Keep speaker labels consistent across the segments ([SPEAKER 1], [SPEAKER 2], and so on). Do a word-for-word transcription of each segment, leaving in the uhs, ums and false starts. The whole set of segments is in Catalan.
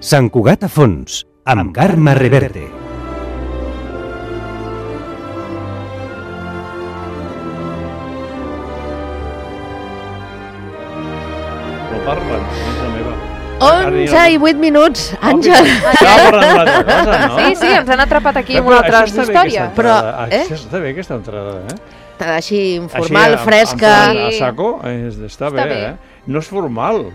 [SPEAKER 1] Sant Cugat a fons, amb Carme Reverte.
[SPEAKER 2] No parlen, és la meva.
[SPEAKER 3] onze i vuit minuts, Àngel.
[SPEAKER 2] Estava parlant d'una altra cosa, no?
[SPEAKER 4] Sí, sí, ens han atrapat aquí amb una altra història.
[SPEAKER 2] Però, eh? Això està bé, aquesta entrada, eh?
[SPEAKER 3] Així, informal,
[SPEAKER 2] Així,
[SPEAKER 3] fresca.
[SPEAKER 2] A saco, està bé, eh? No és formal.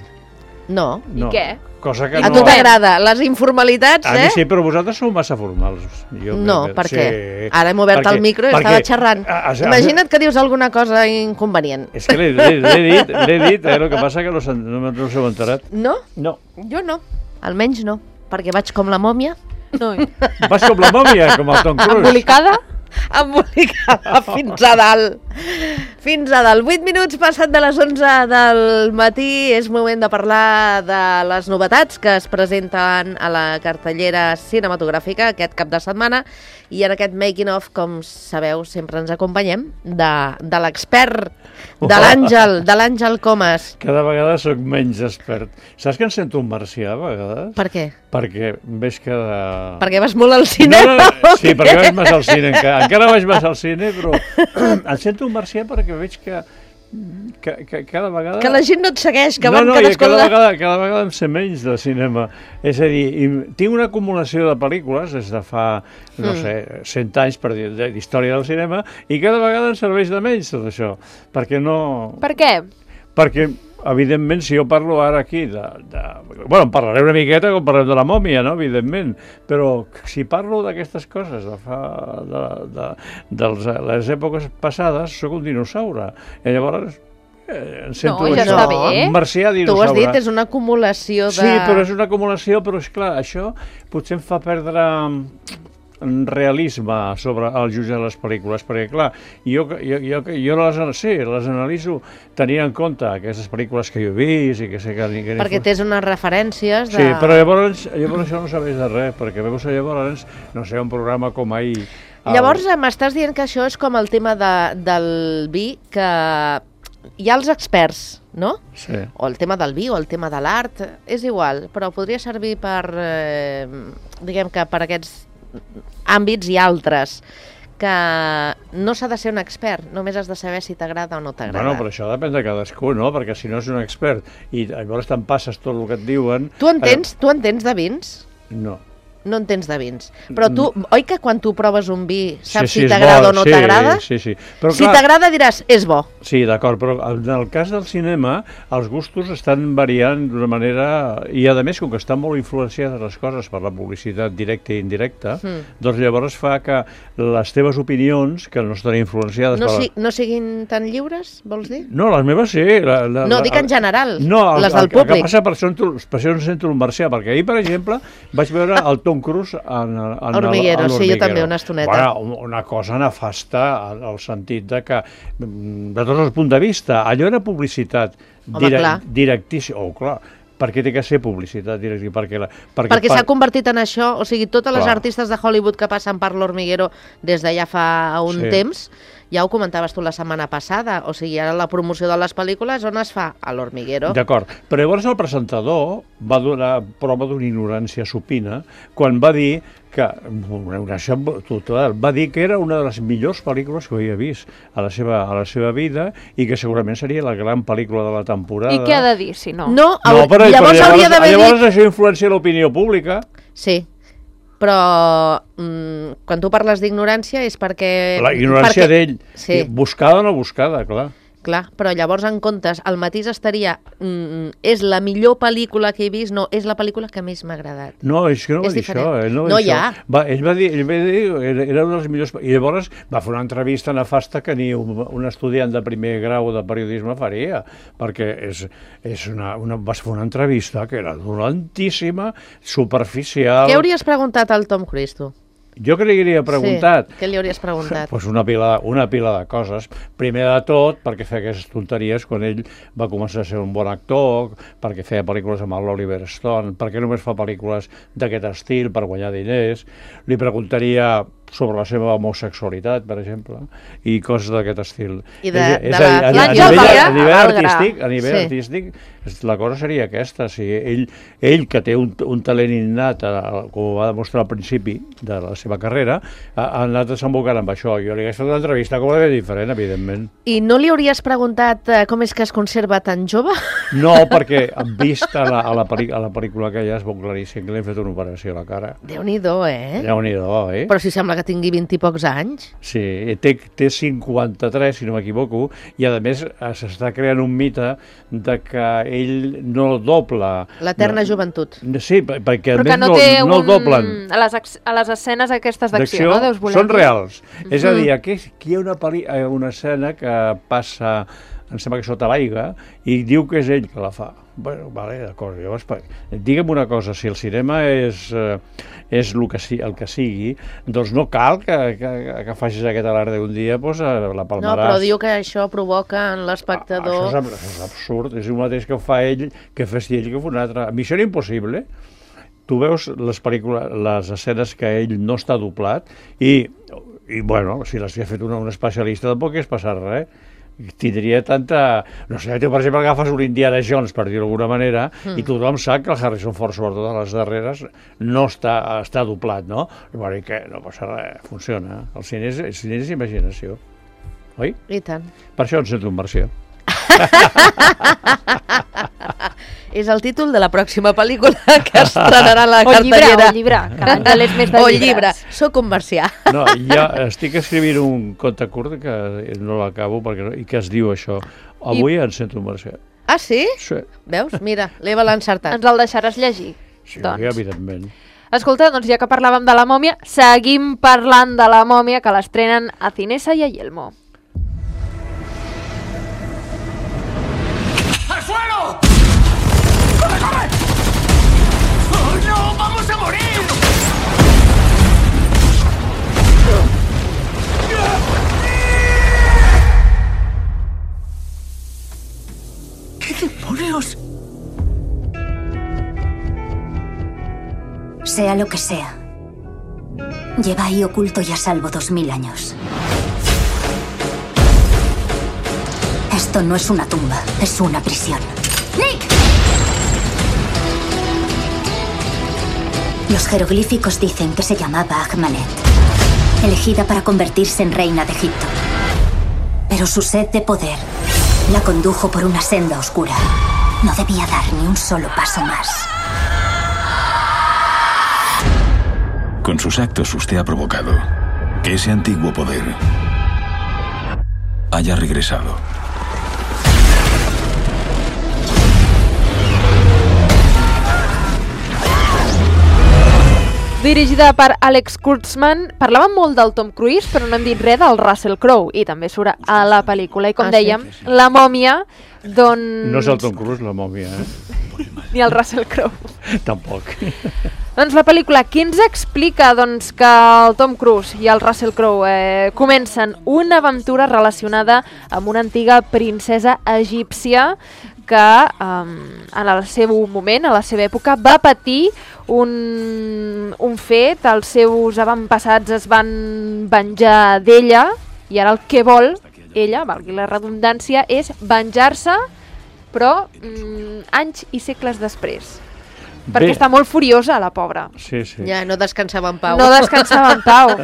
[SPEAKER 3] No.
[SPEAKER 4] I què?
[SPEAKER 2] Cosa que
[SPEAKER 3] a
[SPEAKER 2] no...
[SPEAKER 3] tu t'agrada les informalitats, eh?
[SPEAKER 2] A mi sí, però vosaltres sou massa formals. Jo
[SPEAKER 3] no,
[SPEAKER 2] crec que...
[SPEAKER 3] per què?
[SPEAKER 2] Sí.
[SPEAKER 3] Ara hem obert
[SPEAKER 2] perquè,
[SPEAKER 3] el micro i
[SPEAKER 2] perquè...
[SPEAKER 3] estava xerrant.
[SPEAKER 2] A, a, a,
[SPEAKER 3] Imagina't que dius alguna cosa inconvenient.
[SPEAKER 2] És que l'he dit, l'he dit, eh? El que passa que no, no, no us heu enterat.
[SPEAKER 3] No?
[SPEAKER 2] No.
[SPEAKER 3] Jo no. Almenys no, perquè vaig com la mòmia.
[SPEAKER 4] No.
[SPEAKER 2] Vas com la mòmia, com el Tom Cruise.
[SPEAKER 4] Embolicada?
[SPEAKER 3] Embolicada fins a dalt. Fins a dalt. vuit minuts passat de les onze del matí. És moment de parlar de les novetats que es presenten a la cartellera cinematogràfica aquest cap de setmana. I en aquest making of, com sabeu, sempre ens acompanyem de, de l'expert, de l'Àngel, de l'Àngel Comas.
[SPEAKER 2] Cada vegada sóc menys expert. Saps que em sento un marcià, a vegades?
[SPEAKER 3] Per què?
[SPEAKER 2] Perquè veig que... De...
[SPEAKER 3] Perquè vas molt al cine?
[SPEAKER 2] No, no, sí, perquè vaig més al cine. Encara, encara vaig més al cine, però em sento un marcià perquè veig que, que, que cada vegada...
[SPEAKER 3] Que la gent no et segueix, que
[SPEAKER 2] no,
[SPEAKER 3] van
[SPEAKER 2] no,
[SPEAKER 3] cadascun...
[SPEAKER 2] cada, vegada, cada vegada em sé menys de cinema. És a dir, tinc una acumulació de pel·lícules des de fa, no mm. sé, cent anys per dir, d'història del cinema, i cada vegada em serveix de menys tot això. Perquè no...
[SPEAKER 4] Per què?
[SPEAKER 2] Perquè, evidentment, si jo parlo ara aquí de... de bueno, en parlaré una miqueta com parlem de la mòmia, no?, evidentment, però si parlo d'aquestes coses de fa... de, de, de les èpoques passades, sóc un dinosaure. I llavors... Eh, em sento
[SPEAKER 4] no, ja
[SPEAKER 2] això,
[SPEAKER 4] està bé.
[SPEAKER 2] un marcià dinosaure.
[SPEAKER 3] Tu ho has dit, és una acumulació de...
[SPEAKER 2] Sí, però és una acumulació, però és clar, això potser em fa perdre realisme sobre el jutge de les pel·lícules, perquè clar, jo, jo, jo, jo les, sí, les analitzo tenint en compte aquestes pel·lícules que jo he vist i que sé que... que
[SPEAKER 3] perquè tens unes referències de...
[SPEAKER 2] Sí, però llavors, llavors això no serveix de res, perquè veus llavors, no sé, un programa com ahir... El...
[SPEAKER 3] Llavors m'estàs dient que això és com el tema de, del vi, que hi ha els experts, no?
[SPEAKER 2] Sí.
[SPEAKER 3] O el tema del vi o el tema de l'art, és igual, però podria servir per, eh, diguem que per aquests àmbits i altres, que no s'ha de ser un expert, només has de saber si t'agrada o no t'agrada.
[SPEAKER 2] Bueno, però això depèn de cadascú, no? Perquè si no és un expert i llavors te'n passes tot el que et diuen...
[SPEAKER 3] Tu entens, eh... tu entens de vins?
[SPEAKER 2] No.
[SPEAKER 3] No entens de vins. Però tu, oi que quan tu proves un vi saps
[SPEAKER 2] sí, sí,
[SPEAKER 3] si t'agrada o no
[SPEAKER 2] sí,
[SPEAKER 3] t'agrada?
[SPEAKER 2] Sí, sí. Però,
[SPEAKER 3] si
[SPEAKER 2] clar,
[SPEAKER 3] t'agrada diràs, és bo.
[SPEAKER 2] Sí, d'acord, però en el cas del cinema els gustos estan variant d'una manera... I a més, com que estan molt influenciades les coses per la publicitat directa i indirecta, mm. doncs llavors fa que les teves opinions, que no estan influenciades...
[SPEAKER 3] No,
[SPEAKER 2] per la...
[SPEAKER 3] si, no siguin tan lliures, vols dir?
[SPEAKER 2] No, les meves sí. La, la,
[SPEAKER 3] no,
[SPEAKER 2] la,
[SPEAKER 3] dic en general,
[SPEAKER 2] no, el,
[SPEAKER 3] les del
[SPEAKER 2] el,
[SPEAKER 3] públic.
[SPEAKER 2] El que passa per això, per això em sento un marcià, perquè ahir, per exemple, vaig veure el Tom Cruise en En, en
[SPEAKER 3] Hormiguero,
[SPEAKER 2] el,
[SPEAKER 3] sí, jo també, una estoneta.
[SPEAKER 2] Bueno, una cosa nefasta en el sentit de que, de tots els punts de vista, allò era publicitat direct, directíssima. Oh, clar, per què té que ser publicitat directa? Perquè, la, perquè,
[SPEAKER 3] perquè s'ha convertit en això, o sigui, totes les
[SPEAKER 2] clar.
[SPEAKER 3] artistes de Hollywood que passen per l'Hormiguero des de ja fa un
[SPEAKER 2] sí.
[SPEAKER 3] temps, ja ho comentaves tu la setmana passada, o sigui, ara la promoció de les pel·lícules on es fa? A l'Hormiguero.
[SPEAKER 2] D'acord, però llavors el presentador va donar prova d'una ignorància supina quan va dir que una ignorància total, va dir que era una de les millors pel·lícules que havia vist a la seva, a la seva vida i que segurament seria la gran pel·lícula de la temporada.
[SPEAKER 4] I què ha de dir, si no?
[SPEAKER 3] No,
[SPEAKER 2] no però,
[SPEAKER 3] llavors,
[SPEAKER 2] però
[SPEAKER 3] hauria d'haver dit...
[SPEAKER 2] Llavors això influencia l'opinió pública.
[SPEAKER 3] Sí, però mm, quan tu parles d'ignorància és perquè...
[SPEAKER 2] La ignorància
[SPEAKER 3] perquè...
[SPEAKER 2] d'ell,
[SPEAKER 3] sí.
[SPEAKER 2] buscada o no buscada, clar.
[SPEAKER 3] Clar, però llavors en comptes el matís estaria mm, és la millor pel·lícula que he vist, no, és la pel·lícula que més m'ha agradat.
[SPEAKER 2] No, és que no va
[SPEAKER 3] és
[SPEAKER 2] dir
[SPEAKER 3] diferent.
[SPEAKER 2] això. Ell no va
[SPEAKER 3] no
[SPEAKER 2] dir
[SPEAKER 3] hi ha.
[SPEAKER 2] Això. Va, ell va dir, ell va dir era, era una de les millors... I llavors va fer una entrevista nefasta que ni un, un estudiant de primer grau de periodisme faria, perquè és, és una, una, vas fer una entrevista que era dolentíssima, superficial...
[SPEAKER 3] Què hauries preguntat al Tom Cruise, tu?
[SPEAKER 2] Jo què li hauria preguntat?
[SPEAKER 3] Sí, què li hauries preguntat?
[SPEAKER 2] Pues una pila, una pila de coses. Primer de tot, perquè feia aquestes tonteries quan ell va començar a ser un bon actor, perquè feia pel·lícules amb l'Oliver Stone, perquè només fa pel·lícules d'aquest estil per guanyar diners. Li preguntaria sobre la seva homosexualitat, per exemple, i coses d'aquest estil.
[SPEAKER 3] I de,
[SPEAKER 2] és, és
[SPEAKER 3] de
[SPEAKER 2] a,
[SPEAKER 3] la...
[SPEAKER 2] a, a,
[SPEAKER 4] l'Àngel
[SPEAKER 2] nivell,
[SPEAKER 4] Maria
[SPEAKER 2] a nivell
[SPEAKER 4] Algra.
[SPEAKER 2] artístic, a nivell
[SPEAKER 3] Sí.
[SPEAKER 2] artístic, la cosa seria aquesta. O sigui, ell, ell, que té un, un talent innat, a, com va demostrar al principi de la seva carrera, ha, ha anat desembocant amb això. Jo li hagués fet una entrevista completament diferent, evidentment.
[SPEAKER 3] I no li hauries preguntat eh, com és que es conserva tan jove?
[SPEAKER 2] No, perquè vist a la, a la, pel·li, a la pel·lícula que ja es veu claríssim que li han fet una operació a la cara.
[SPEAKER 3] Déu-n'hi-do, eh?
[SPEAKER 2] Déu-n'hi-do, eh?
[SPEAKER 3] Però si sembla que tingui vint i pocs anys.
[SPEAKER 2] Sí, té, té cinquanta-tres, si no m'equivoco, i a més s'està creant un mite de que ell no dobla.
[SPEAKER 3] L'eterna
[SPEAKER 2] no,
[SPEAKER 3] joventut.
[SPEAKER 2] Sí, perquè
[SPEAKER 4] Però
[SPEAKER 2] a
[SPEAKER 4] que
[SPEAKER 2] més
[SPEAKER 4] no
[SPEAKER 2] no,
[SPEAKER 4] té
[SPEAKER 2] no el
[SPEAKER 4] un...
[SPEAKER 2] doblen.
[SPEAKER 4] A les, ex- a les escenes aquestes d'acció, no? Deus voler
[SPEAKER 2] són
[SPEAKER 4] dir?
[SPEAKER 2] reals. Mm-hmm. És a dir,
[SPEAKER 3] Mhm.
[SPEAKER 2] aquí, aquí hi ha una, peli, eh, una escena que passa, em sembla que sota l'aigua, i diu que és ell que la fa. Bueno, vale, d'acord, llavors, digue'm una cosa, si el cinema és, eh, és el, que, si, el que sigui, doncs no cal que, que, que facis aquest alarde un dia, doncs la palmaràs.
[SPEAKER 3] No, però diu que això provoca en
[SPEAKER 2] Ah,
[SPEAKER 3] l'espectador...
[SPEAKER 2] això, és, això és absurd, és el mateix que fa ell, que fes ell, que fa un altre. Missió Impossible, tu veus les pel·lícules, les escenes que ell no està doblat, i, i bueno, si les ha fet una, un especialista tampoc és passar res. Tindria tanta... No sé, tu, per exemple, agafes un Indiana Jones, per dir-ho d'alguna manera, mm. i tothom sap que el Harrison Ford, sobretot a les darreres, no està, està doblat, no? Bueno, i que no passa res, funciona. El cine és, el cine és imaginació, oi?
[SPEAKER 3] I tant.
[SPEAKER 2] Per això em sento un marcià.
[SPEAKER 3] És el títol de la pròxima pel·lícula que estrenarà la
[SPEAKER 4] O llibre,
[SPEAKER 3] cartellera.
[SPEAKER 4] o llibre, que l'Àngel és més de
[SPEAKER 3] O
[SPEAKER 4] llibres.
[SPEAKER 3] llibre. Soc un marcià.
[SPEAKER 2] No, ja estic escrivint un conte curt que no l'acabo perquè no, i que es diu això. Avui I... em sento un marcià.
[SPEAKER 3] Ah, sí?
[SPEAKER 2] Sí,
[SPEAKER 3] Veus? Mira, l'Eva l'ha encertat.
[SPEAKER 4] Ens el deixaràs llegir?
[SPEAKER 2] sí,
[SPEAKER 4] Doncs.
[SPEAKER 2] evidentment.
[SPEAKER 4] Escolta, doncs ja que parlàvem de la mòmia, seguim parlant de la mòmia, que l'estrenen a Cinesa i a Yelmo.
[SPEAKER 5] ¡Al suelo! ¡Corre, corre! ¡Oh, no! ¡Vamos a morir! ¿Qué demonios?
[SPEAKER 6] Sea lo que sea, lleva ahí oculto y a salvo dos mil años. Esto no es una tumba, es una prisión. ¡Nick! Los jeroglíficos dicen que se llamaba Ahmanet, elegida para convertirse en reina de Egipto. Pero su sed de poder la condujo por una senda oscura. No debía dar ni un solo paso más.
[SPEAKER 7] Con sus actos usted ha provocado que ese antiguo poder haya regresado.
[SPEAKER 4] Dirigida per Alex Kurtzman, parlàvem molt del Tom Cruise, però no hem dit res del Russell Crowe, i també surt a la pel·lícula. I com
[SPEAKER 3] Ah, sí?
[SPEAKER 4] dèiem, la mòmia, doncs...
[SPEAKER 2] No és el Tom Cruise, la mòmia, eh?
[SPEAKER 4] Ni el Russell Crowe.
[SPEAKER 2] Tampoc.
[SPEAKER 4] Doncs la pel·lícula, qui ens explica doncs, que el Tom Cruise i el Russell Crowe eh, comencen una aventura relacionada amb una antiga princesa egípcia que um, en el seu moment, a la seva època, va patir un, un fet, els seus avantpassats es van venjar d'ella i ara el que vol ella, valgui la redundància, és venjar-se, però mm, anys i segles després. Perquè
[SPEAKER 2] Bé.
[SPEAKER 4] està molt furiosa, la pobra.
[SPEAKER 2] Sí, sí.
[SPEAKER 3] Ja, no descansava en pau.
[SPEAKER 4] No descansava en pau.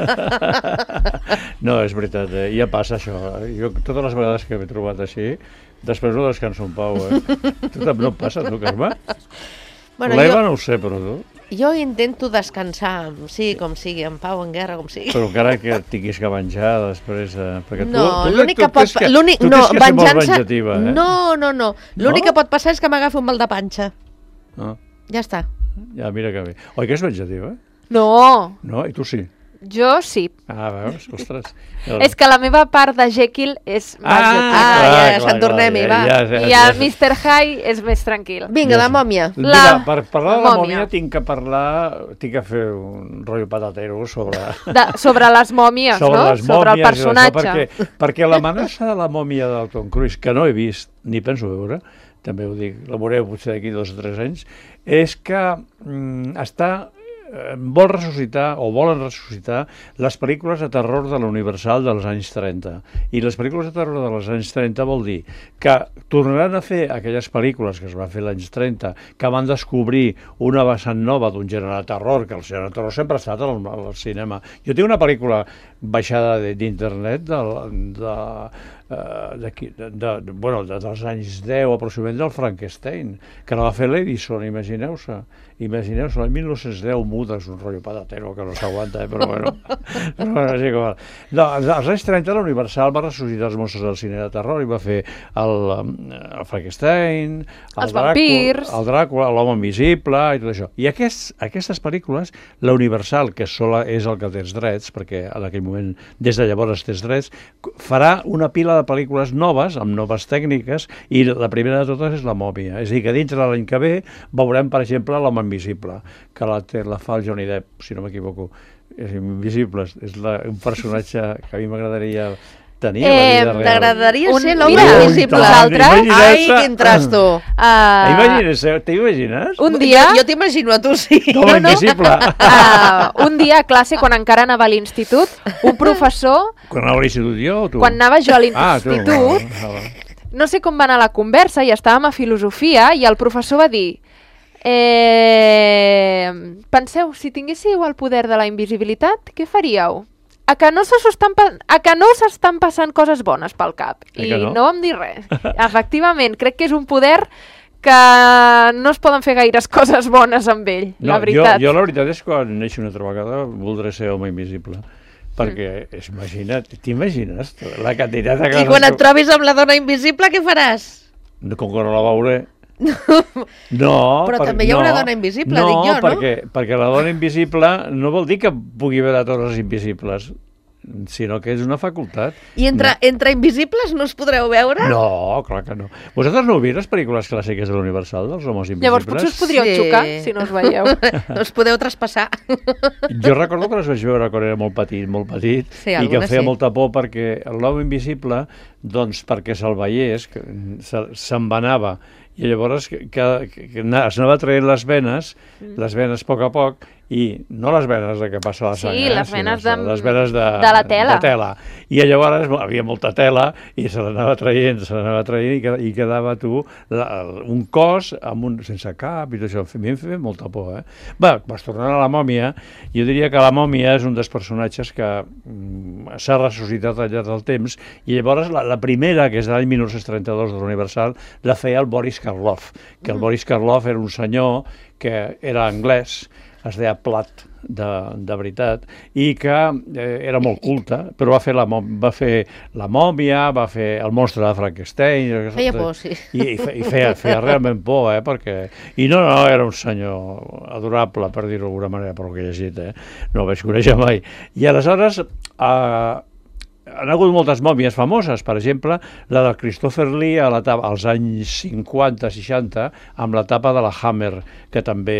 [SPEAKER 2] No, és veritat, eh? Ja passa això. Jo totes les vegades que m'he trobat així, després no descanso en pau, eh? Tu també no et passa, tu, Carme?
[SPEAKER 3] Bueno,
[SPEAKER 2] L'Eva
[SPEAKER 3] jo,
[SPEAKER 2] no ho sé, però tu.
[SPEAKER 3] jo intento descansar, sí, com sigui, en pau, en guerra, com sigui.
[SPEAKER 2] Però encara que et tinguis que venjar després... Eh? Perquè
[SPEAKER 3] No,
[SPEAKER 2] tu, tu,
[SPEAKER 3] l'únic
[SPEAKER 2] tu
[SPEAKER 3] que pot...
[SPEAKER 2] tens que,
[SPEAKER 3] l'únic-
[SPEAKER 2] tu
[SPEAKER 3] no,
[SPEAKER 2] tens que ser molt
[SPEAKER 3] venjança...
[SPEAKER 2] venjativa, eh?
[SPEAKER 3] No, no, no. L'únic
[SPEAKER 2] No?
[SPEAKER 3] que pot passar és que m'agafi un mal de panxa.
[SPEAKER 2] Ah,
[SPEAKER 3] Ja està.
[SPEAKER 2] ja, mira que bé. Oi que és venjativa?
[SPEAKER 4] No,
[SPEAKER 2] No? I tu sí?
[SPEAKER 4] jo sí.
[SPEAKER 2] Ah, veus? Ostres. El...
[SPEAKER 4] És que la meva part de Jekyll és més
[SPEAKER 2] Ah,
[SPEAKER 4] Jekyll.
[SPEAKER 3] Ah,
[SPEAKER 2] clar,
[SPEAKER 3] ja,
[SPEAKER 2] clar,
[SPEAKER 3] Sant Tornem-hi,
[SPEAKER 2] clar,
[SPEAKER 3] va.
[SPEAKER 2] ja, ja,
[SPEAKER 4] I
[SPEAKER 2] ja,
[SPEAKER 4] el mister Hyde és més tranquil.
[SPEAKER 3] Vinga,
[SPEAKER 2] Ja
[SPEAKER 3] la
[SPEAKER 2] sé.
[SPEAKER 3] mòmia.
[SPEAKER 2] Mira,
[SPEAKER 4] La-
[SPEAKER 2] per parlar de
[SPEAKER 4] la
[SPEAKER 2] la
[SPEAKER 4] mòmia.
[SPEAKER 2] mòmia tinc que parlar, tinc que fer un rotllo patatero sobre...
[SPEAKER 4] De, sobre les mòmies,
[SPEAKER 2] sobre
[SPEAKER 4] no?
[SPEAKER 2] les
[SPEAKER 4] sobre el
[SPEAKER 2] mòmies i això,
[SPEAKER 4] personatge.
[SPEAKER 2] perquè, perquè l'amenaça de la mòmia del Tom Cruise, que no he vist ni penso veure, també ho dic, la veureu potser d'aquí dos o tres anys, és que mm, està vol ressuscitar o volen ressuscitar les pel·lícules de terror de l'Universal dels anys trenta. I les pel·lícules de terror dels anys trenta vol dir que tornaran a fer aquelles pel·lícules que es van fer als anys trenta, que van descobrir una vessant nova d'un gènere de terror, que el gènere de terror sempre ha estat al, al cinema. Jo tinc una pel·lícula baixada d'internet de, de, de, de, de, bueno, de, dels anys deu aproximadament del Frankenstein, que la va fer l'Edison, imagineu-se. Imagineu-se, l'any mil nou-cents deu muda, és un rotllo patatero que no s'aguanta, eh? Però bueno, però bueno, és igual. No, als anys trenta la Universal va ressuscitar els monstres del cine de terror i va fer el, el Frankenstein, el
[SPEAKER 4] els vampirs,
[SPEAKER 2] el Dràcula, l'home invisible i tot això. I aquests, aquestes pel·lícules, la Universal, que sola és el que té els drets, perquè en aquell moment, des de llavors té els drets, farà una pila de pel·lícules noves, amb noves tècniques, i la primera de totes és la mòmia. És a dir, que dintre de l'any que ve veurem, per exemple, l'home invisible, que la, la fa el Johnny Depp, si no m'equivoco. És invisible, és la, un personatge que a mi m'agradaria tenir a la vida real.
[SPEAKER 3] T'agradaria
[SPEAKER 4] Un-
[SPEAKER 3] ser l'home
[SPEAKER 4] mira,
[SPEAKER 3] invisible.
[SPEAKER 4] nosaltres-
[SPEAKER 3] Ai, quin trasto.
[SPEAKER 4] Uh,
[SPEAKER 2] Imagines, t'imagines?
[SPEAKER 4] un dia...
[SPEAKER 3] Jo, jo t'imagino a tu, sí.
[SPEAKER 2] L'home invisible.
[SPEAKER 4] Uh, un dia a classe, quan encara anava a l'institut, un professor,
[SPEAKER 2] Quan anava a l'institut jo o tu?
[SPEAKER 4] quan anava jo a
[SPEAKER 2] Ah, tu.
[SPEAKER 4] l'institut,
[SPEAKER 2] Ah, va.
[SPEAKER 4] no sé com va anar la conversa, i estàvem a filosofia, i el professor va dir: eh, penseu, si tinguéssiu el poder de la invisibilitat, què faríeu? A que no s'estan pa- a que no s'estan passant coses bones pel cap?
[SPEAKER 2] Eh
[SPEAKER 4] I
[SPEAKER 2] que no?
[SPEAKER 4] no vam dir res. Efectivament, crec que és un poder que no es poden fer gaires coses bones amb ell,
[SPEAKER 2] No,
[SPEAKER 4] la veritat.
[SPEAKER 2] Jo, jo la veritat és que quan neixi una altra vegada voldré ser home invisible. Perquè, mm. imagina't, t'imagines la quantitat de
[SPEAKER 3] I
[SPEAKER 2] coses...
[SPEAKER 3] quan et
[SPEAKER 2] que-
[SPEAKER 3] trobis amb la dona invisible, què faràs?
[SPEAKER 2] No, com que no la veuré. No,
[SPEAKER 3] Però
[SPEAKER 2] per-
[SPEAKER 3] també hi haurà
[SPEAKER 2] no,
[SPEAKER 3] dona invisible,
[SPEAKER 2] no,
[SPEAKER 3] dic jo, no?
[SPEAKER 2] perquè, perquè la dona invisible no vol dir que pugui veure coses invisibles, sinó que és una facultat.
[SPEAKER 3] I entre,
[SPEAKER 2] No.
[SPEAKER 3] entre invisibles no us podreu veure?
[SPEAKER 2] No, clar que no. Vosaltres no heu vist les pel·lícules clàssiques de l'Universal, dels homes invisibles?
[SPEAKER 4] Llavors potser us podríeu
[SPEAKER 3] Sí.
[SPEAKER 4] xocar, si no us veieu.
[SPEAKER 3] No us podeu traspassar.
[SPEAKER 2] Jo recordo que les vaig veure quan era molt petit, molt petit,
[SPEAKER 3] Sí,
[SPEAKER 2] i que em
[SPEAKER 3] algunes
[SPEAKER 2] feia
[SPEAKER 3] sí.
[SPEAKER 2] molta por perquè l'home invisible, doncs perquè se'l veiés, que se- se'n vanava, i llavors que, que, que ana- es anava traient les venes, les venes a poc a poc, i no les venes de que passa la
[SPEAKER 4] Sí,
[SPEAKER 2] sang, eh,
[SPEAKER 4] les
[SPEAKER 2] sinó
[SPEAKER 4] venes
[SPEAKER 2] de,
[SPEAKER 4] de-
[SPEAKER 2] les venes de,
[SPEAKER 4] de la tela.
[SPEAKER 2] de tela. I llavors havia molta tela i se l'anava traient, se l'anava traient i, qued- i quedava tu la, un cos amb un, sense cap i tot això. A mi em feia molta por, eh? Va, vas tornant a la mòmia, jo diria que la mòmia és un dels personatges que mm, s'ha ressuscitat al llarg del temps, i llavors la, la primera, que és de l'any mil nou-cents trenta-dos de l'Universal, la feia el Boris Karloff, que el Boris Karloff era un senyor que era anglès, es deia Platt de, de veritat, i que eh, era molt culte, però va fer, la, mò- va fer la mòmia, va fer el monstre de Frankenstein...
[SPEAKER 3] Feia por, sí.
[SPEAKER 2] I, i, fe, i feia, feia realment por, eh? Perquè... I no, no, era un senyor adorable, per dir-ho d'alguna manera, per lo que he llegit, eh? No el vaig conèixer mai. I aleshores... Eh, han hagut moltes mòmies famoses, per exemple, la del Christopher Lee a la tapa, als anys cinquanta seixanta, amb la tapa de la Hammer, que també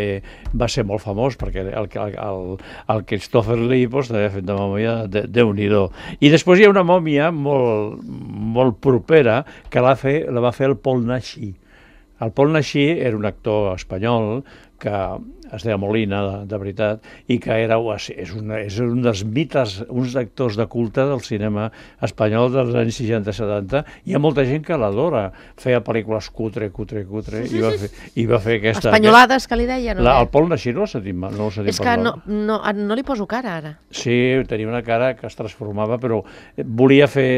[SPEAKER 2] va ser molt famós, perquè el, el, el Christopher Lee doncs, també ha fet de mòmia de, Déu-n'hi-do. I després hi ha una mòmia molt, molt propera que la, fe, la va fer el Paul Naschy. El Paul Naschy era un actor espanyol que es deia Molina, de, de veritat, i que era, és, una, és un dels mites, uns actors de culte del cinema espanyol dels anys seixanta setanta. Hi ha molta gent que l'adora. Feia pel·lícules cutre, cutre, cutre, i va fer, i va fer aquesta...
[SPEAKER 3] Espanyolades, que li deien, o
[SPEAKER 2] La,
[SPEAKER 3] què?
[SPEAKER 2] el Paul Naschy no l'ha sentit, mal, no l'ha sentit
[SPEAKER 3] És que
[SPEAKER 2] parlar.
[SPEAKER 3] no, no, no li poso cara, ara.
[SPEAKER 2] Sí, tenia una cara que es transformava, però volia fer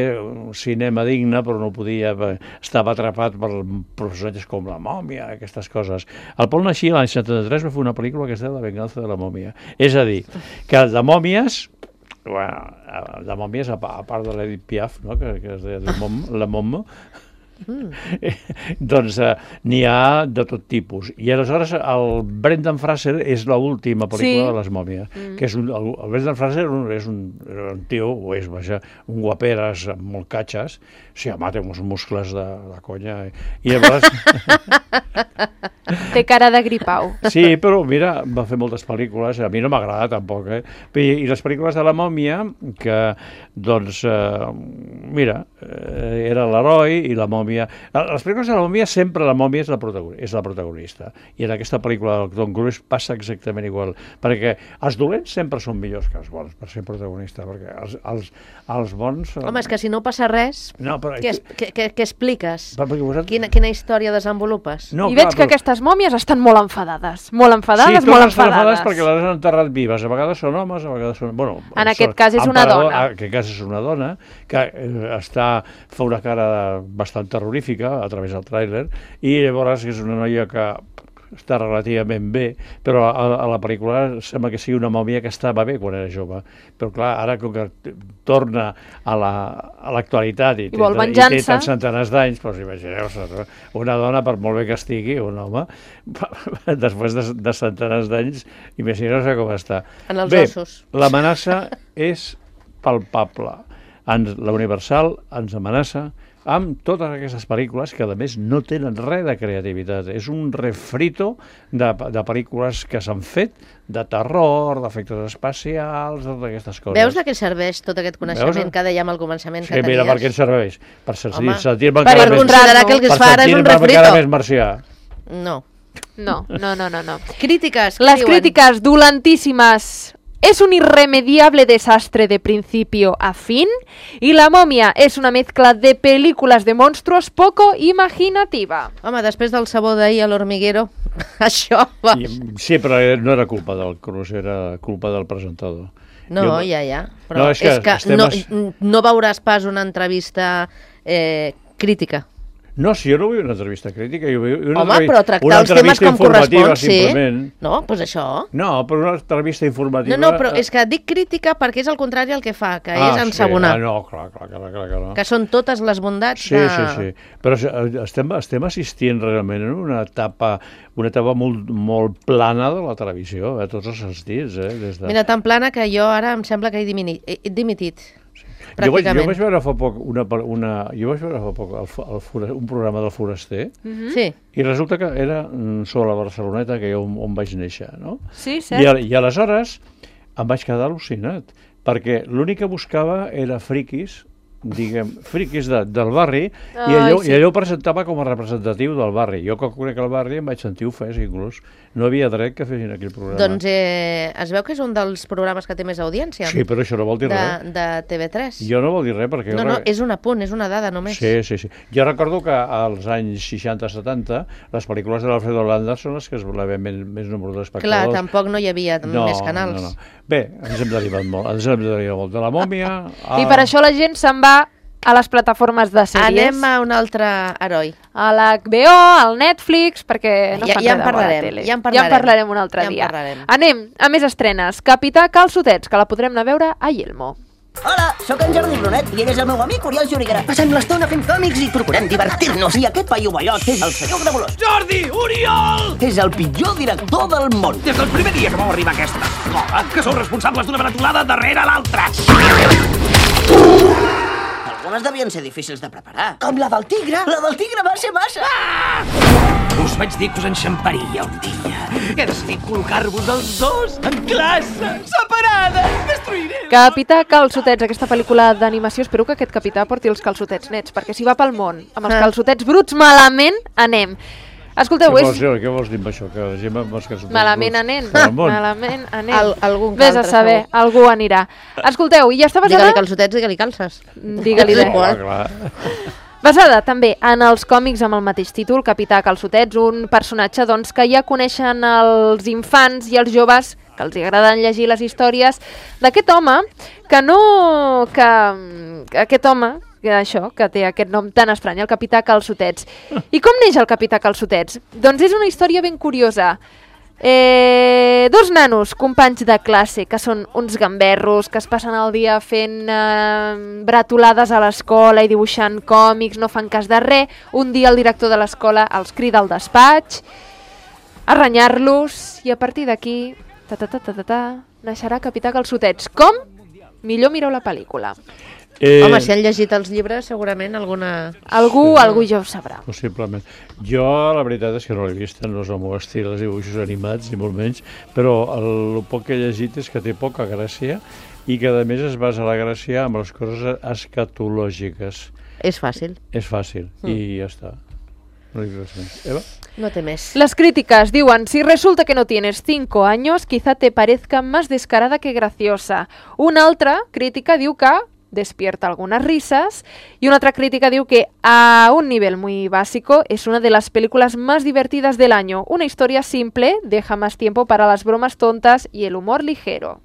[SPEAKER 2] cinema digne, però no podia, estava atrapat per personatges com la mòmia, aquestes coses. El Paul Naschy l'any setanta-tres va fer una pel·lícula que es deia La venganza de la mòmia. És a dir, que de mòmies, bueno, de mòmies, a part, a part de l'Edith Piaf, no? que, que es deia de mom, la mom, Mm. doncs eh, n'hi ha de tot tipus. I aleshores el Brendan Fraser és l'última pel·lícula
[SPEAKER 4] Sí.
[SPEAKER 2] de les mòmies, mm. que és un, el, el Brendan Fraser és un, era un tio, o és, vaja, un guaperes amb molt catxes, sí, home, té uns muscles de, de conya, i llavors
[SPEAKER 4] Té cara de gripau.
[SPEAKER 2] Sí, però mira, va fer moltes pel·lícules, a mi no m'agrada tampoc, eh? I, i les pel·lícules de la mòmia, que, doncs, eh, mira, eh, era l'heroi i la mòmia... Les pel·lícules de la mòmia, sempre la mòmia és la, protagonista, és la protagonista. I en aquesta pel·lícula del Tom Cruise passa exactament igual, perquè els dolents sempre són millors que els bons per ser protagonista, perquè els, els, els bons...
[SPEAKER 3] Home, és que si no passa res,
[SPEAKER 2] no, però,
[SPEAKER 3] què, es, què, què, què expliques?
[SPEAKER 2] vosaltres...
[SPEAKER 3] Quina, quina història desenvolupes?
[SPEAKER 2] No,
[SPEAKER 4] I
[SPEAKER 2] clar,
[SPEAKER 4] veig que
[SPEAKER 2] però...
[SPEAKER 4] aquestes mòmies estan molt enfadades. Molt enfadades,
[SPEAKER 2] sí,
[SPEAKER 4] molt
[SPEAKER 2] enfadades. Sí, totes
[SPEAKER 4] enfadades.
[SPEAKER 2] perquè les han enterrat vives. A vegades són homes, a vegades són... Bueno,
[SPEAKER 4] en
[SPEAKER 2] són...
[SPEAKER 4] aquest cas és una
[SPEAKER 2] Emparador,
[SPEAKER 4] dona.
[SPEAKER 2] En aquest cas és una dona que eh, està, fa una cara bastant terrorífica a través del tràiler i llavors és una noia que està relativament bé, però a, a la pel·lícula sembla que sigui una mòmia que estava bé quan era jove. Però clar, ara com que torna a l'actualitat la, i,
[SPEAKER 4] I vol
[SPEAKER 2] té,
[SPEAKER 4] venjança.
[SPEAKER 2] i té tants centenars d'anys, doncs imagineu-vos, una dona, per molt bé que estigui, un home, després de, de centenars d'anys, imagineu-vos com està.
[SPEAKER 3] En els
[SPEAKER 2] bé,
[SPEAKER 3] ossos.
[SPEAKER 2] L'amenaça és palpable. Ens, la Universal ens amenaça amb totes aquestes pel·lícules que, a més, no tenen res de creativitat. És un refrito de, de pel·lícules que s'han fet, de terror, d'efectes especials, de totes aquestes coses.
[SPEAKER 3] Veus de què serveix tot aquest coneixement
[SPEAKER 2] Veus?
[SPEAKER 3] que dèiem al començament
[SPEAKER 2] Sí,
[SPEAKER 3] que tenies?
[SPEAKER 2] mira, per què ens serveix? Per
[SPEAKER 3] Home,
[SPEAKER 2] sentir-me
[SPEAKER 3] per
[SPEAKER 2] encara,
[SPEAKER 3] considerar que el que es fa ara és un
[SPEAKER 2] sentir-me encara
[SPEAKER 3] refrito.
[SPEAKER 2] més marcià.
[SPEAKER 3] No.
[SPEAKER 4] No, no, no, no. no.
[SPEAKER 3] Crítiques, què
[SPEAKER 4] Les
[SPEAKER 3] diuen?
[SPEAKER 4] críticas dolentísimas. Es un irremediable desastre de principio a fin y La momia es una mezcla de películas de monstruos poco imaginativa.
[SPEAKER 3] Home, després del sabó d'ahir a l'Hormiguero, això va...
[SPEAKER 2] I, sí, però no era culpa del Cruz, era culpa del presentador.
[SPEAKER 3] No,
[SPEAKER 2] Jo-
[SPEAKER 3] ja, ja. Però
[SPEAKER 2] No,
[SPEAKER 3] és
[SPEAKER 2] és
[SPEAKER 3] que,
[SPEAKER 2] que estem
[SPEAKER 3] no,
[SPEAKER 2] es-
[SPEAKER 3] no veuràs pas una entrevista eh, crítica.
[SPEAKER 2] No, si jo no vull una entrevista crítica, jo vull una,
[SPEAKER 3] Home,
[SPEAKER 2] entrevi-
[SPEAKER 3] però tractar
[SPEAKER 2] una
[SPEAKER 3] els temes
[SPEAKER 2] entrevista
[SPEAKER 3] com
[SPEAKER 2] informativa,
[SPEAKER 3] correspon, sí.
[SPEAKER 2] simplement.
[SPEAKER 3] No, doncs pues això.
[SPEAKER 2] No, però una entrevista informativa...
[SPEAKER 3] No, no, però és que dic crítica perquè és el contrari al que fa, que
[SPEAKER 2] Ah,
[SPEAKER 3] és ensabonar.
[SPEAKER 2] Sí. Ah, no, clar, clar, clar, clar, clar.
[SPEAKER 3] Que són totes les bondats
[SPEAKER 2] Sí,
[SPEAKER 3] de...
[SPEAKER 2] sí, sí. Però eh, estem, estem assistint realment en una etapa, una etapa molt, molt plana de la televisió, a tots els sentits. Eh? Des de...
[SPEAKER 3] Mira, tan plana que jo ara em sembla que he dimini- he dimitit.
[SPEAKER 2] Jo vaig, jo
[SPEAKER 3] Pràcticament.
[SPEAKER 2] vaig veure fa poc, una, una, jo vaig veure fa poc el, fo- el, fora- un programa del Foraster
[SPEAKER 4] Mhm.
[SPEAKER 3] Sí.
[SPEAKER 2] i resulta que era mm, sobre la Barceloneta, que jo on, on vaig néixer, no?
[SPEAKER 4] Sí,
[SPEAKER 2] I,
[SPEAKER 4] cert.
[SPEAKER 2] a, I aleshores em vaig quedar al·lucinat, perquè l'únic que buscava era friquis, diguem, friquis de, del barri, i
[SPEAKER 4] Ai,
[SPEAKER 2] allò,
[SPEAKER 4] sí.
[SPEAKER 2] i allò ho presentava com a representatiu del barri. Jo, que conec el barri, em vaig sentir ofès, inclús. No havia dret que fessin aquell programa.
[SPEAKER 3] Doncs eh, es veu que és un dels programes que té més audiència
[SPEAKER 2] Sí, però això no vol dir
[SPEAKER 3] de,
[SPEAKER 2] res.
[SPEAKER 3] de T V tres.
[SPEAKER 2] Jo no vol dir res, perquè...
[SPEAKER 3] No,
[SPEAKER 2] jo
[SPEAKER 3] no,
[SPEAKER 2] re-
[SPEAKER 3] és un apunt, és una dada només.
[SPEAKER 2] Sí, sí, sí. Jo recordo que als anys seixanta setanta les pel·lícules de l'Alfredo Landa són les que es volaven més, més número
[SPEAKER 3] Clar,
[SPEAKER 2] d'espectadors.
[SPEAKER 3] tampoc no hi havia
[SPEAKER 2] no,
[SPEAKER 3] més canals.
[SPEAKER 2] No, no. Bé, ens hem derivat molt. Ens hem derivat molt de la mòmia... A...
[SPEAKER 4] I per això la gent se'n va a les plataformes de sèries.
[SPEAKER 3] Anem a un altre heroi.
[SPEAKER 4] A l'H B O, al Netflix, perquè no
[SPEAKER 3] Ja-
[SPEAKER 4] fan
[SPEAKER 3] ja en
[SPEAKER 4] res de bona
[SPEAKER 3] parlarem,
[SPEAKER 4] tele.
[SPEAKER 3] ja en
[SPEAKER 4] Ja en
[SPEAKER 3] parlarem.
[SPEAKER 4] parlarem un altre
[SPEAKER 3] Ja en
[SPEAKER 4] dia.
[SPEAKER 3] parlarem.
[SPEAKER 4] Anem a més estrenes. Capità Calçotets, que la podrem anar a veure a Yelmo.
[SPEAKER 8] Hola, sóc en Jordi Brunet i ell és el meu amic Oriol Joriguera. Passem l'estona fent còmics i procurem divertir-nos. I aquest paio ballot és el senyor Gramolós.
[SPEAKER 5] Jordi! Oriol!
[SPEAKER 8] És el pitjor director del món.
[SPEAKER 5] Des del primer dia que vau arribar a aquesta escola, que sou responsables d'una bretolada darrere l'altra.
[SPEAKER 8] Algunes devien ser difícils de preparar. Com la del tigre. La del tigre va ser massa.
[SPEAKER 5] Us vaig dir que us enxamparia un dia. He decidit col·locar-vos els dos en classe, separades. Destruiré...
[SPEAKER 4] Capità Calçotets, aquesta pel·lícula d'animació, espero que aquest capità porti els calçotets nets, perquè si va pel món amb els
[SPEAKER 3] Ah.
[SPEAKER 4] calçotets bruts, malament anem. Escolteu,
[SPEAKER 2] Què
[SPEAKER 4] és...
[SPEAKER 2] vols, dir? Què vols dir amb això? Que la gent amb els calçotets
[SPEAKER 4] Malament
[SPEAKER 2] bruts
[SPEAKER 4] anem,
[SPEAKER 2] pel món?
[SPEAKER 4] malament anem.
[SPEAKER 3] Al- algun que
[SPEAKER 4] Ves a
[SPEAKER 3] altre,
[SPEAKER 4] saber,
[SPEAKER 3] segur.
[SPEAKER 4] algú anirà. Escolteu, i ja està basada...
[SPEAKER 3] Digue-li calçotets, digue-li calces.
[SPEAKER 4] Digue-li
[SPEAKER 3] És
[SPEAKER 4] bé.
[SPEAKER 3] igual.
[SPEAKER 2] Clar, clar.
[SPEAKER 4] Basada també en els còmics amb el mateix títol, Capità Calçotets, un personatge doncs, que ja coneixen els infants i els joves que els agraden llegir les històries d'aquest home que no... que, que aquest home que això, que té aquest nom tan estrany, el Capità Calçotets. I com neix el Capità Calçotets? Doncs és una història ben curiosa. Eh, dos nanos, companys de classe, que són uns gamberros, que es passen el dia fent eh, bretolades a l'escola i dibuixant còmics, no fan cas de res. Un dia el director de l'escola els crida al despatx a renyar-los i a partir d'aquí ta, ta, ta, ta, ta, ta, naixerà Capità Calçotets. Com? Millor mireu la pel·lícula.
[SPEAKER 2] Eh,
[SPEAKER 3] Home, si han llegit els llibres, segurament alguna...
[SPEAKER 4] Algú, sí. algú ja ho sabrà.
[SPEAKER 2] Possiblement. Jo, la veritat és que no l'he vist, no és el meu estil, els dibuixos animats, ni molt menys, però el, el poc que he llegit és que té poca gràcia i que, a més, es basa la gràcia en les coses escatològiques.
[SPEAKER 3] És fàcil.
[SPEAKER 2] És fàcil, mm. i ja està. No dic res més. Eva?
[SPEAKER 3] No té més.
[SPEAKER 4] Las críticas diuen, si resulta que no tienes cinco años, quizá te parezca más descarada que graciosa. Una altra crítica diu que despierta algunas risas y una otra crítica diu que a un nivel muy básico es una de las películas más divertidas del año. Una historia simple, deja más tiempo para las bromas tontas y el humor ligero.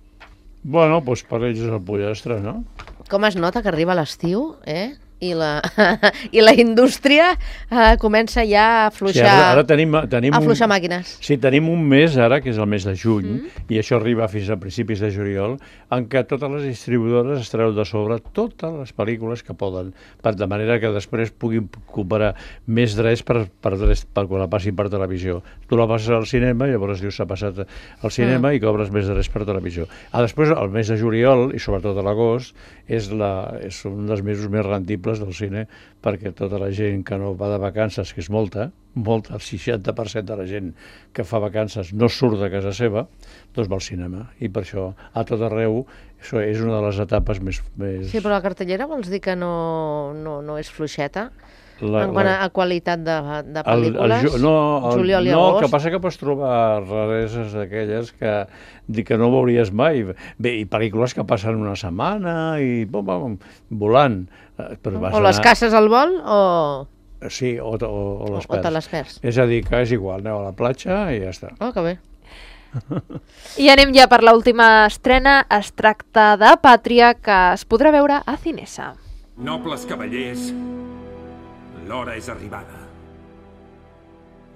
[SPEAKER 2] Bueno, doncs per ells és el pollastre, no?
[SPEAKER 3] Com es nota que arriba l'estiu, eh? I la, i la indústria eh, comença ja a afluixar,
[SPEAKER 2] sí, ara, ara tenim, tenim
[SPEAKER 3] a afluixar
[SPEAKER 2] un,
[SPEAKER 3] màquines.
[SPEAKER 2] Sí, tenim un mes ara, que és el mes de juny,
[SPEAKER 3] Mm.
[SPEAKER 2] i això arriba fins a principis de juliol, en què totes les distribuïdores es treuen de sobre totes les pel·lícules que poden, per de manera que després puguin cooperar més drets per, per, drets, per quan la passin per televisió. Tu la passes al cinema, llavors dius s'ha passat al cinema mm. i cobres més drets per televisió. Ah, després, el mes de juliol, i sobretot a l'agost, és, la, és un dels mesos més rendibles del cine, perquè tota la gent que no va de vacances, que és molta, molta, el seixanta per cent de la gent que fa vacances no surt de casa seva, doncs va al cinema. I per això, a tot arreu, això és una de les etapes més... més...
[SPEAKER 3] Sí, però la cartellera vols dir que no, no, no és fluixeta?
[SPEAKER 2] La,
[SPEAKER 3] en quant a,
[SPEAKER 2] la...
[SPEAKER 3] a qualitat de, de pel·lícules,
[SPEAKER 2] el, el, no, el,
[SPEAKER 3] juliol i
[SPEAKER 2] no,
[SPEAKER 3] agost...
[SPEAKER 2] el que passa que pots trobar rareses d'aquelles que, que no veuries mai. Bé, i pel·lícules que passen una setmana i bom, bom, volant. Però
[SPEAKER 3] o les anar... caces al vol o...
[SPEAKER 2] Sí, o, o, o les perds.
[SPEAKER 3] O te les perds.
[SPEAKER 2] És a dir, que és igual, aneu a la platja i ja està.
[SPEAKER 3] Oh, que bé.
[SPEAKER 4] I anem ja per l'última estrena. Es tracta de Pàtria, que es podrà veure a Cinesa.
[SPEAKER 9] Nobles cavallers, l'hora és arribada.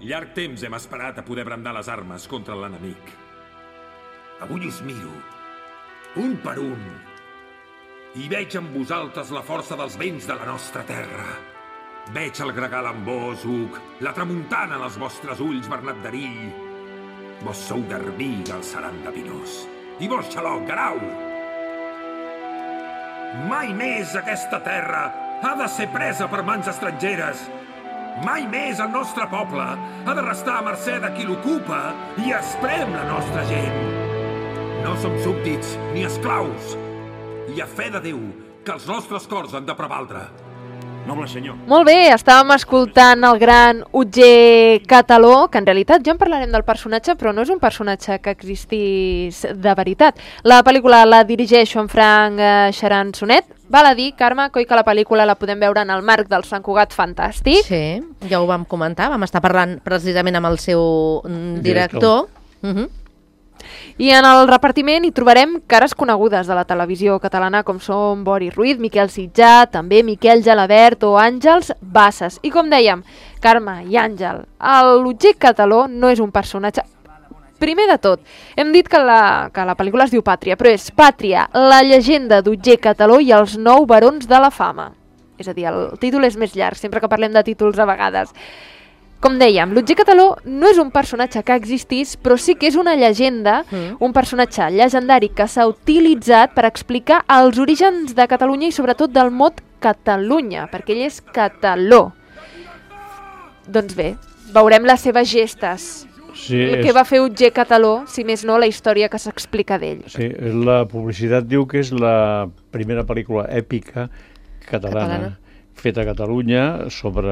[SPEAKER 9] Llarg temps hem esperat a poder brandar les armes contra l'enemic. Avui us miro, un per un, i veig en vosaltres la força dels vents de la nostra terra. Veig el gregal en vos, Hug, la tramuntana en els vostres ulls, Bernat d'Erill. Vos sou Garbí, Galceran de Pinós. I vos, Xaloc, Garau. Mai més aquesta terra ha de ser presa per mans estrangeres. Mai més el nostre poble ha de restar a mercè de qui l'ocupa i esprem la nostra gent. No som súbdits ni esclaus. I a fe de Déu que els nostres cors han de prevaldre. Noble senyor.
[SPEAKER 4] Molt bé, estàvem escoltant el gran Utger Cataló, que en realitat ja en parlarem del personatge, però no és un personatge que existís de veritat. La pel·lícula la dirigeix en Frank Charan-Sonet. Val a dir, Carme, coi que la pel·lícula la podem veure en el marc del Sant Cugat Fantàstic.
[SPEAKER 3] Sí, ja ho vam comentar, vam estar parlant precisament amb el seu director. director. Uh -huh.
[SPEAKER 4] I en el repartiment hi trobarem cares conegudes de la televisió catalana, com són Bori Ruiz, Miquel Sitjà, també Miquel Gelabert o Àngels Bassas. I com dèiem, Carme i Àngel, l'Utger Cataló no és un personatge... Primer de tot, hem dit que la, que la pel·lícula es diu Pàtria, però és Pàtria, la llegenda d'Utger Cataló i els nou barons de la fama. És a dir, el títol és més llarg, sempre que parlem de títols a vegades. Com dèiem, l'Utger Cataló no és un personatge que existís, però sí que és una llegenda, mm. un personatge llegendari que s'ha utilitzat per explicar els orígens de Catalunya i sobretot del mot Catalunya, perquè ell és cataló. Doncs bé, veurem les seves gestes.
[SPEAKER 2] Sí,
[SPEAKER 4] el
[SPEAKER 2] és...
[SPEAKER 4] que va fer Utger Cataló, si més no, la història que s'explica d'ell.
[SPEAKER 2] Sí, la publicitat diu que és la primera pel·lícula èpica catalana. catalana. Feta a Catalunya sobre,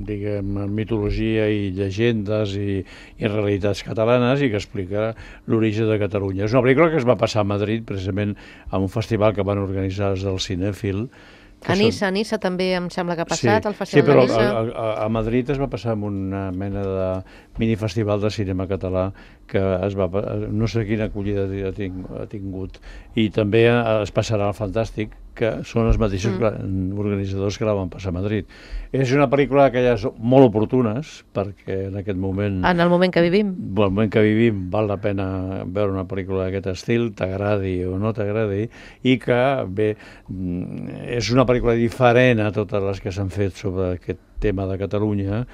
[SPEAKER 2] diguem, mitologia i llegendes i, i realitats catalanes i que explica l'origen de Catalunya. És una pel·lícula que es va passar a Madrid, precisament a un festival que van organitzar els del Cinèfil.
[SPEAKER 3] A Niça, són... a Niça també em sembla que ha passat,
[SPEAKER 2] sí,
[SPEAKER 3] el Festival
[SPEAKER 2] sí, però
[SPEAKER 3] de Niça.
[SPEAKER 2] A, a, a Madrid es va passar amb una mena de minifestival de cinema català que es va, no sé quina acollida ha tingut. I també es passarà al Fantàstic, que són els mateixos mm. organitzadors que la van passar a Madrid. És una pel·lícula d'aquelles molt oportunes, perquè en aquest moment...
[SPEAKER 3] En el moment que vivim.
[SPEAKER 2] En el moment que vivim val la pena veure una pel·lícula d'aquest estil, t'agradi o no t'agradi, i que, bé, és una pel·lícula diferent a totes les que s'han fet sobre aquest tema de Catalunya,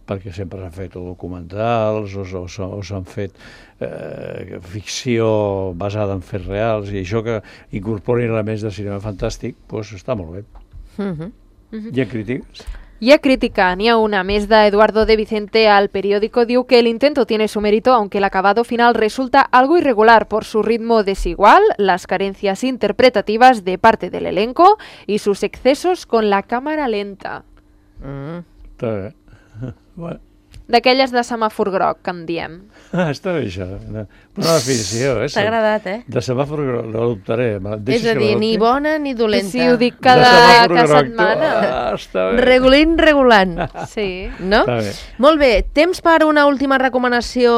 [SPEAKER 2] perquè sempre s'han fet documentals o, o, o s'han fet eh, ficció basada en fets reals, i això que incorporin elements de cinema fantàstic, doncs està molt bé.
[SPEAKER 3] Uh-huh.
[SPEAKER 4] Uh-huh.
[SPEAKER 2] Hi ha crítiques?
[SPEAKER 4] Hi ha crítica, n'hi ha una més de Eduardo de Vicente al periódico. Diu que el intento tiene su mérito, aunque el acabado final resulta algo irregular por su ritmo desigual, las carencias interpretativas de parte del elenco y sus excesos con la cámara lenta.
[SPEAKER 3] Mm.
[SPEAKER 2] Està bé. Bueno.
[SPEAKER 4] D'aquelles de semàfor groc, que en diem.
[SPEAKER 2] Ah, està bé això. Una, una definició, eh?
[SPEAKER 3] T'ha agradat, eh?
[SPEAKER 2] De semàfor groc, l'adoptaré.
[SPEAKER 3] És a dir, ni bona ni dolenta.
[SPEAKER 4] Si ho dic cada, cada setmana.
[SPEAKER 2] Ah, està bé.
[SPEAKER 3] Regulint, regulant.
[SPEAKER 4] Sí.
[SPEAKER 3] No?
[SPEAKER 2] Està bé.
[SPEAKER 3] Molt bé. Temps per una última recomanació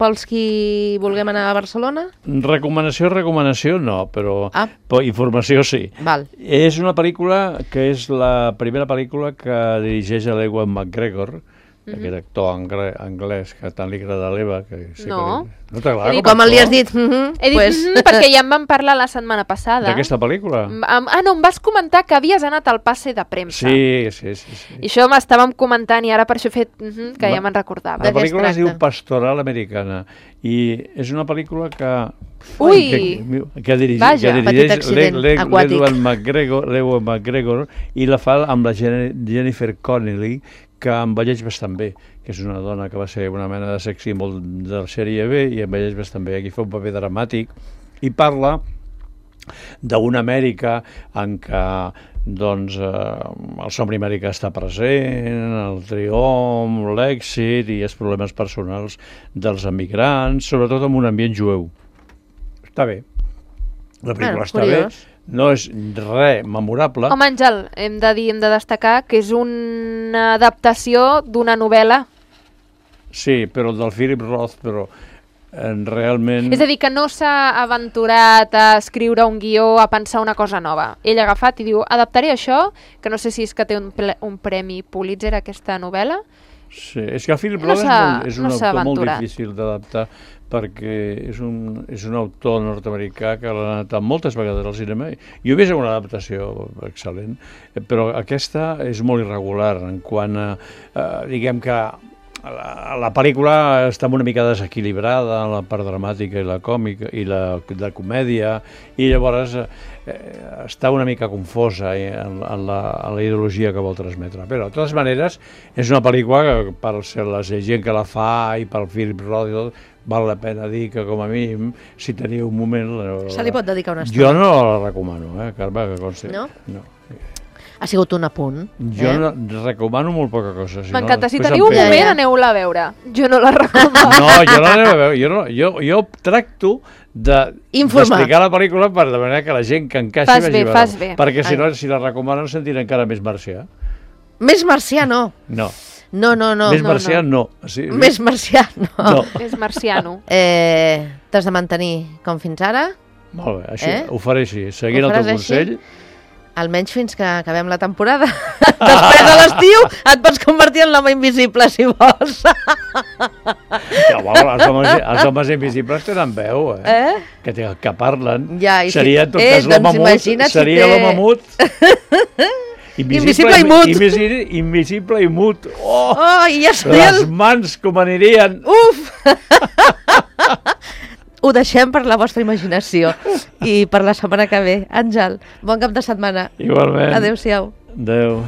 [SPEAKER 3] pels qui vulguem anar a Barcelona?
[SPEAKER 2] Recomanació, recomanació no, però
[SPEAKER 3] ah.
[SPEAKER 2] informació sí.
[SPEAKER 3] Val.
[SPEAKER 2] És una pel·lícula que és la primera pel·lícula que dirigeix l'Ewan McGregor,
[SPEAKER 4] Mm-hmm.
[SPEAKER 2] aquest actor angre, anglès que tant li agrada a l'Eva. Que sí
[SPEAKER 4] no.
[SPEAKER 2] Que li... No t'agrada com,
[SPEAKER 3] com li has dit? Mm-hmm,
[SPEAKER 4] He dit
[SPEAKER 3] pues...
[SPEAKER 4] mm, perquè ja en vam parlar la setmana passada.
[SPEAKER 2] D'aquesta pel·lícula?
[SPEAKER 4] Ah, no, em vas comentar que havies anat al passe de premsa.
[SPEAKER 2] Sí, sí, sí. sí.
[SPEAKER 4] I això m'estàvem comentant i ara per això he fet mm-hmm, que Va. ja me'n recordava.
[SPEAKER 2] La pel·lícula es diu Pastoral Americana i és una pel·lícula que...
[SPEAKER 4] Ui!
[SPEAKER 2] Que, que dirigeix,
[SPEAKER 4] Vaja,
[SPEAKER 2] que dirigeix
[SPEAKER 3] petit accident aquàtic.
[SPEAKER 2] l'Ewan McGregor, l'Ewan McGregor i la fa amb la Jennifer Connelly, que envelleix bastant bé, que és una dona que va ser una mena de sex symbol de la sèrie B i envelleix bastant bé. Aquí fa un paper dramàtic i parla d'una Amèrica en què doncs, eh, el somni americà està present, el triomf, l'èxit i els problemes personals dels emigrants, sobretot en un ambient jueu. Està bé. La pel·lícula bueno, està curiós. bé. No és res memorable.
[SPEAKER 4] Home, Àngel, hem de dir, hem de destacar que és una adaptació d'una novel·la.
[SPEAKER 2] Sí, però del Philip Roth, però eh, realment...
[SPEAKER 4] És a dir, que no s'ha aventurat a escriure un guió, a pensar una cosa nova. Ell ha agafat i diu, adaptaré això, que no sé si és que té un, un premi Pulitzer, aquesta novel·la.
[SPEAKER 2] Sí, és que el Philip Roth no és, és un no autor molt difícil d'adaptar, perquè és un, és un autor nord-americà que l'ha adaptat moltes vegades al cinema. Jo he vist una adaptació excel·lent, però aquesta és molt irregular en quant a, eh, diguem que la, la pel·lícula està una mica desequilibrada, la part dramàtica i la còmica i la de comèdia, i llavors eh, està una mica confosa en, en, la, en la ideologia que vol transmetre. Però, de totes maneres, és una pel·lícula que per ser la gent que la fa i pel Philip Roth i tot, val la pena dir que, com a mínim, si teniu un moment...
[SPEAKER 3] Se li pot dedicar una estona.
[SPEAKER 2] Jo no la recomano, eh, Carme, que consti.
[SPEAKER 3] No?
[SPEAKER 2] No.
[SPEAKER 3] Ha sigut un apunt.
[SPEAKER 2] Jo
[SPEAKER 3] eh?
[SPEAKER 2] no, recomano molt poca cosa. Si
[SPEAKER 4] M'encanta,
[SPEAKER 2] no,
[SPEAKER 4] si teniu un moment, ja. aneu-la a veure. Jo no la recomano.
[SPEAKER 2] No, jo la aneu a veure. Jo, no, jo, jo tracto d'explicar de, la pel·lícula per de manera que la gent que encaixi
[SPEAKER 4] fas
[SPEAKER 2] vagi
[SPEAKER 4] bé,
[SPEAKER 2] a
[SPEAKER 4] fas bé.
[SPEAKER 2] Perquè si no, si la recomanen, sentirà encara més marcià.
[SPEAKER 3] Més marcià, no.
[SPEAKER 2] No.
[SPEAKER 3] No, no, no.
[SPEAKER 2] Més
[SPEAKER 3] no,
[SPEAKER 2] marcià, no.
[SPEAKER 3] no.
[SPEAKER 2] Sí,
[SPEAKER 3] Més marcià, no.
[SPEAKER 2] no.
[SPEAKER 4] Més marciano.
[SPEAKER 3] Eh, T'has de mantenir com fins ara.
[SPEAKER 2] Molt bé, així,
[SPEAKER 3] eh?
[SPEAKER 2] ho faré així. Seguint el teu consell...
[SPEAKER 3] Així? Almenys fins que acabem la temporada. Després de l'estiu et pots convertir en l'home invisible, si vols.
[SPEAKER 2] Ja, bueno, els, homes, els homes invisibles tenen veu, eh? eh? Que, que parlen.
[SPEAKER 3] Ja, i
[SPEAKER 2] seria, en tot
[SPEAKER 3] eh,
[SPEAKER 2] cas, l'home
[SPEAKER 3] doncs
[SPEAKER 2] mut. Seria
[SPEAKER 3] si té...
[SPEAKER 2] l'home mut. Invisible,
[SPEAKER 3] invisible i mut.
[SPEAKER 2] Invisible, invisible i mut. Oh,
[SPEAKER 3] oh i ja
[SPEAKER 2] les mans com anirien.
[SPEAKER 3] Uf! Ho deixem per la vostra imaginació i per la setmana que ve. Àngel, bon cap de setmana.
[SPEAKER 2] Igualment.
[SPEAKER 3] Adéu-siau.
[SPEAKER 2] Adéu.